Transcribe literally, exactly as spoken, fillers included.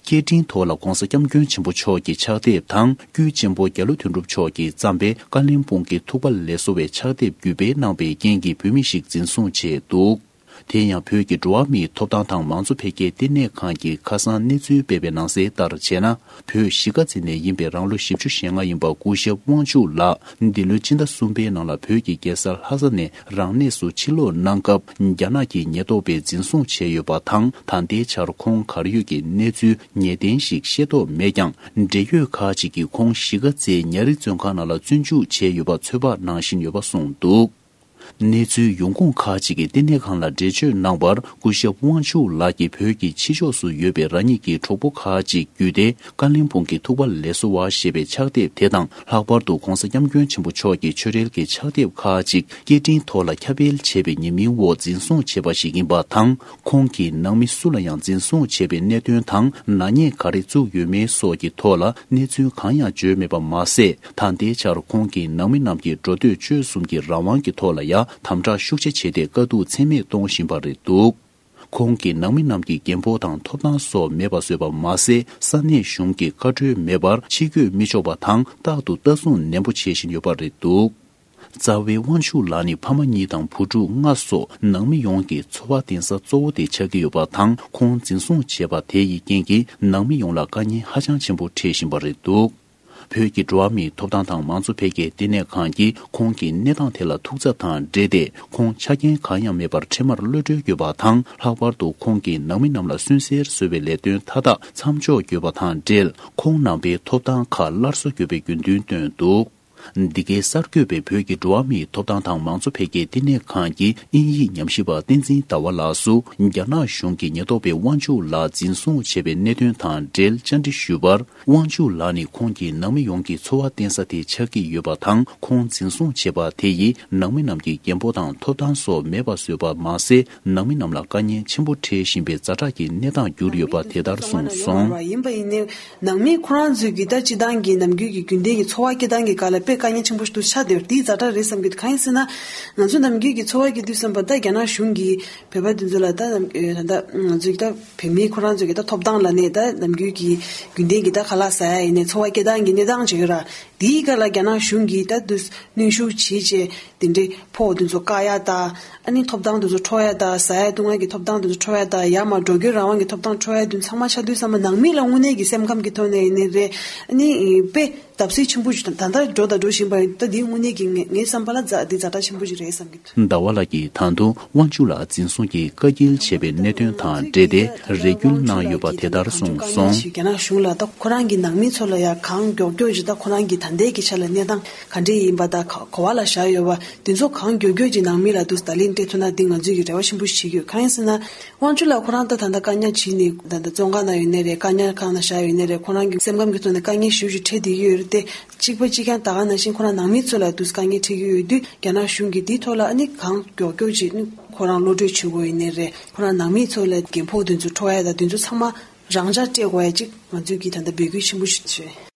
སྐད་འཕྲིན་ཐོག་ལ་༧གོང་ས་༧སྐྱབས་མགོན་ཆེན་པོ་མཆོག་གི་ཕྱག་དེབ་དང་། དཀྱུས་ཆེན་པོ་རྒྱ་ལོ་དོན་གྲུབ་མཆོག་གིས་བརྩམས་པའི་བཀའ་བློན་སྤུངས་ཀྱི་ཐུག་པ་ལེགས་སོ་བའི་ཕྱག་དེབ་བརྒྱུད་སྤེལ་གནང་པའི་རྐྱེན་གྱིས་བོད་མི་ཞིག་འཛིན་བཟུང་བྱས་འདུག་དེ་ཡང་བོད་ཀྱི་འགྲོ་བ་མིའི་ཐོབ་ཐང་དང་མང་གཙོ་འཕེལ་རྒྱས་ལྟེ་གནས་ཁང་གིས་ཁ་སང་གནས་ཚུལ་སྤེལ་བའི་ནང་གསལ་ལྟར་བྱས་ན། བོད་གཞིས་ཀ་རྩེ་ནས་ཡིན་པའི་རང་ལོ་བཞི་བཅུ་ཞེ་ལྔ་ཡིན་པ་སྐུ་ཞབས་དབང་ཕྱུག་ལགས་འདི་ལོའི་སྤྱི་ཟླ་གསུམ་པའི་ནང་ལ་བོད་ཀྱི་རྒྱལ་ས་ལྷ་ས་ནས་རང་གནས་སུ་ཕྱིར་ལོག་གནང་སྐབས། རྒྱ་ནག་གི་ཉེན་རྟོག་པས་འཛིན་བཟུང་བྱས་ཡོད་པ་དང་། ད་ལྟའི་ཆར་ཁོང་གར་ཡོད་ཀྱི་གནས་ཚུལ་ངེས་གཏན་ཞིག་ཤེས་རྟོགས་མེད་ཀྱང་། འབྲེལ་ཡོད་ཁག་ཅིག་གིས་ཁོང་གཞིས་ཀ་རྩེའི་ཉ་རིགས་བཙོན་ཁང་ནང་ལ་བཙོན་འཇུག་བྱས་ཡོད་པ་ཚོད་དཔག་གནང་བཞིན་ཡོད་པ་གསུངས་འདུག་གནས་ཚུལ་ཡོང་ཁུངས་ཁག་ཅིག་གིས་ལྟེ་གནས་ཁང་ལ་འགྲེལ་བརྗོད་གནང་བར། སྐུ་ཞབས་དབང་ཕྱུག་ལགས་ཀྱིས་བོད་ཀྱི་ཕྱི་ཕྱོགས་སུ་ཡོད་པའི་རང་ཉིད་ཀྱི་གྲོགས་པོ་ཁག་ཅིག་བརྒྱུད་དེ། བཀའ་བློན་སྤུངས་ཀྱི་ཐུག་པ་ལེགས་སོ་བ་ཞེས་པའི་ཕྱག་དེབ་དེ་དང་། ལྷག་པར་དུ་༧གོང་ས་༧སྐྱབས་མགོན་ཆེན་པོ་མཆོག་གི་ཆོས་རྒྱལ་གྱི་ཕྱག་དེབ་ཁག་ཅིག་སྐད་འཕྲིན་ཐོག་ལ་ཁྱབ་སྤེལ་བྱས་པའི་ཉེས་མིང་འོག་འཛིན་བཟུང་བྱས་པ་ཞིག་ཡིན་པ་དང་། ཁོང་གིས་ནང་མི་སུ་ལ་ཡང་འཛིན་བཟུང་བྱས་པའི་གནད་དོན་དང་། ནག་ཉེས་ག་རེ་བཙུགས་ཡོད་མེད་སོགས་ཀྱི་ཐོག་ལ་གནས་ཚུལ་གང་ཡང་བརྗོད་མེད་པ་མ་ཟད། ད་ལྟའི་ཆར་ཁོང་གིས་ནང་མི་རྣམས་ཀྱི་འགྲོ་སྡོད་སྤྱོད་གསུམ་གྱི་རང་དབང་གི་ཐོག་ལ་ཡང་དམ་དྲག་ཤུགས་ཆེ་བྱས་ཏེ། དཀའ་སྡུག་ཚད་མེད་གཏོང་བཞིན་པ་རེད་འདུག་ཁོང་གིས་ནང་མི་རྣམས་ཀྱི་རྒན་ཕོགས་དང་ཐོབ་ཐང་སོགས་མེད་པ་བཟོས་པ་མ་ཟད། ས་གནས་གཞུང་གི་བཀའ་འཁྲོལ་མེད་པར་ཕྱིར་སྐྱོད་མི་ཆོག་པ་དང་། རྟག་ཏུ་ལྟ་སྲུང་ནན་པོ་བྱེད་བཞིན་ཡོད་པ་རེད་འདུག་རྩ་བའི་དབང་ཕྱུག་ལགས་ནི་ཕ་མ་གཉིས་དང་བུ་ཕྲུག་ལྔ་སོགས་ནང་མི་ཡོངས་ཀྱི་འཚོ་བ་བརྟེན་ས་གཙོ་བོ་དེ་ཆགས་ཀྱི་ཡོད་པ་དང་། ཁོང་འཛིན་བཟུང་བྱས་པ་དེ་ཡི་རྐྱེན་གྱིས་ནང་མི་ཡོངས་ལ་དཀའ་ངལ་ཧ་ཅང་ཆེན་པོ་འཕྲད་བཞིན་པ་རེད་འདུག་བོད་ཀྱི་འགྲོ་བ་མིའི་ཐོབ་ཐང་དང་མང་གཙོ་འཕེལ་རྒྱས་ལྟེ་གནས་ཁང་གིས་ཁོང་གི་གནས་སྟངས་དེ་ལ་ཐུགས་འཚབ་དང་འབྲེལ་ཏེ། ཁོང་ཆ་རྐྱེན་གང་ཡང་མེད་པར་འཕྲལ་མར་གློད་གྲོལ་དགོས་པ་དང་། ལྷག་པར་དུ་ཁོང་གིས་ནང་མི་རྣམས་ལ་སུན་གཙེར་བཟོ་བའི་ལས་དོན་མཐའ་དག་མཚམས་འཇོག་དགོས་པ་དང་འབྲེལ། ཁོང་རྣམ་པའི་ཐོབ་ཐང་ཁག་སླར་གསོ་དགོས་པའི་དགོས་འདུན་བཏོན་འདུག་འདི་གའི་གསར་འགོད་པས་བོད་ཀྱི་འགྲོ་བ་མིའི་ཐོབ་ཐང་དང་མང་གཙོ་འཕེལ་རྒྱས་ལྟེ་གནས་ཁང་གི་དབྱིན་ཡིག་ཉམས་ཞིབ་པ་བསྟན་འཛིན་ཟླ་བ་ལགས་སུ། རྒྱ་ནག་གཞུང་གིས་ཉེན་རྟོག་པས་དབང་ཕྱུག་ལགས་འཛིན་བཟུང་བྱས་པའི་གནད་དོན་དང་འབྲེལ་བཅར་འདྲི་ཞུས་པར། དབང་ཕྱུག་ལགས་ནི་ཁོང་གི་ནང་མི་ཡོངས་ཀྱི་འཚོ་བ་བརྟེན་ས་དེ་ཆགས་ཀྱི་ཡོད་པ་དང་། ཁོང་འཛིན་བཟུང་བྱས་པ་དེ་ཡིས་ནང་མི་རྣམས་ཀྱི་རྒན་ཕོགས་དང་ཐོབ་ཐང་སོགས་མེད་པ་བཟོས་པ་མ་ཟད། ནང་མི་རྣམས་ལ་དཀའ་ངལ་ཆེན་པོ་འཕྲད་བཞིན་པའི་ཛ་དྲག་གི་གནས་སྟངས་གྱུར་ཡོད་པ་དེ་ལྟར་གསུངས་སོང་། ཡིན་པ་ཡིན་ནའི། ནང་མི་ཁོ་རང་ཚོས་ཀྱི་ད་སྤྱི་བཏང་གི་ནམ་རྒྱུན་གྱི་རྒྱུན་ལྡན་གྱི་འཚོ་བ་སྐྱེལ་སྟངས་ཀྱི་སྐབས་ལ་དཔེ་དཀའ་ངལ་ཆེན་པོ་ཞིག་ཏུ་ཆགས་བསྡད་པ་དེ་ཛ་དྲག་རེད་བསམ་གྱི་འདུག་གང་ཡིན་ཟེར་ན། ང་ཚོ་ནམ་རྒྱུན་གྱི་འཚོ་བ་གི་དུས་བསམ་པ་ད་རྒྱ་ནག་གཞུང་གིས་བོད་པ་དེ་ཚོ་ལ་ད་ནམ་ད་ང་ཚོས་ཀྱི་ད་བོད་མི་ཁོ་རང་ཚོས་ཀྱི་ད་ཐོབ་ཐང་ལབ་ནས་ད་ནམ་རྒྱུན་གྱི་རྒྱུན་ལྡན་གྱི་ད་ཁ་ལག་ཟ་ཡ་ཡིན་ནའི་འཚོ་བ་སྐྱེལ་སྟངས་ཀྱི་གནས་སྟངས་ཅིག་ཡོད་ར། དེའི་སྐབས་ལ་རྒྱ་ནག་གཞུང་གིས་ད་དུ་གནོན་ཤུགས་བྱེད་བྱས་དེ་འདྲའི་ཕོགས་དེ་ཚོ་བཀག་ཡ་ད། ཨ་ནི་ཐོབ་ཐང་དེ་ཚོ་འཕྲོག་ཡ་ད། ཟ་ཡ་བཏུང་ཡ་གི་ཐོབ་ཐང་དེ་ཚོ་འཕྲོག་ཡ་ད། ཡར་མར་འགྲོ་སྐྱོད་རང་དབང་གི་ཐོབ་ཐང་འཕྲོག་ཡ་དེ་ཚང་མ་ཆགས་དུས་ཙམ་པ་ནང་མི་ལ་དངོས་གནས་ཀྱི་སེམས་ཁམས་ཀྱི་ཐོག་ནས་ཡིན་ནའི་རེད། ཨ་ནི་དཔེ་བརྡབ་གསིག་ཆེན་པོ་ཞིག་ད་ལྟ་འགྲོ་དང་འགྲོ་བཞིན་པ་ཡིན། ད་འདི་དངོས་གནས་ཀྱི་ངའི་ངའི་བསམ་པ་ལ་ཛ་འདི་ཛ་དྲག་ཆེན་པོ་ཞིག་རེད་བསམ་གྱི་འདུག་ཟླ་བ་ལགས་ཀྱིས་ད་དུང་དབང་ཕྱུག་ལགས་འཛིན་བཟུང་གིས་བཀའ་འགྱེལ་བྱས་པའི་གནད་དོན་དང་འབྲེལ་ཏེ་རེ་སྐུལ་གནང་ཡོད་པ་དེ་ལྟར་གསུངས་སོང་། རྒྱ་ནག་གཞུང་ལ་ད་ཁོ་རང་གི་ནང་མི་ཚོ་ལ་ཡང་གང་མགྱོགས་མགྱོགས་ཀྱིས་ད་ཁོ་རང་གི་ད་ལྟའི་གི་ཆ་ལ་གནས་སྟངས་ག་འདྲས་ཡིན་པ་དང་ག་ག་བ་ལ་བཞག་ཡོད་པ་དེ་ཚོ་གང་མགྱོགས་མགྱོགས་ཀྱིས་ནང་མི་ལ་དུ་ད་ལན་སྤྲད་ཐུབ་ན་འདི་ང་ཚོས་ཀྱི་རེ་བ་ཆེན་པོ་ཞིག་བྱེད་ཀྱི་ཡོད། གང་ཡིན་ཟེར་ན། དབང་ཕྱུག་ལགས་ཁོ་རང་ད་ད་ལྟ་བཀག་ཉར་བྱས་ནས་ད་ལྟ་བཙོན་ཁང་ནང་ཡོད་ནའི་རེད། བཀག་ཉར་ཁང་ནང་བཞག་ཡོད་ནའི་རེད། ཁོ་རང་གི་སེམས་ཁམས་ཀྱི་ཐོག་ནས་དཀའ་ངལ་ཞེ་པོ་ཅིག་འཕྲད་བསྡད་ཀྱི་ཡོད་རེད་དེ། གཅིག་པ་གཅིག་རྐྱང་ད་ག་ནང་བཞིན་ཁོ་རང་ནང་མི་ཚོ་ལ་དུ་དཀའ་ངལ་འཕྲད་ཀྱི་ཡོད་དུས་རྒྱ་ནག་གཞུང་གིས་འདིའི་ཐོག་ལ་ཨ་ནི་གང་མགྱོགས་མགྱོགས་ཅིག་ནི་ཁོ་རང་གློད་གྲོལ་བྱེད་དགོས་ཡིན་ནའི་རེད། ཁོ་རང་ནང་མི་ཚོ་ལ་རྒན་ཕོགས་དེ་ཚོ་འཕྲོག་ཡ་དང་དེ་ཚོ་ཚང་མ་རང་འཇགས་སྤྲད་དགོས་ཡ་ཅིག་ང་ཚོས་ཀྱི་ད་ལྟ་འབོད་སྐུལ་ཆེན་པོ་ཞིག་བྱས།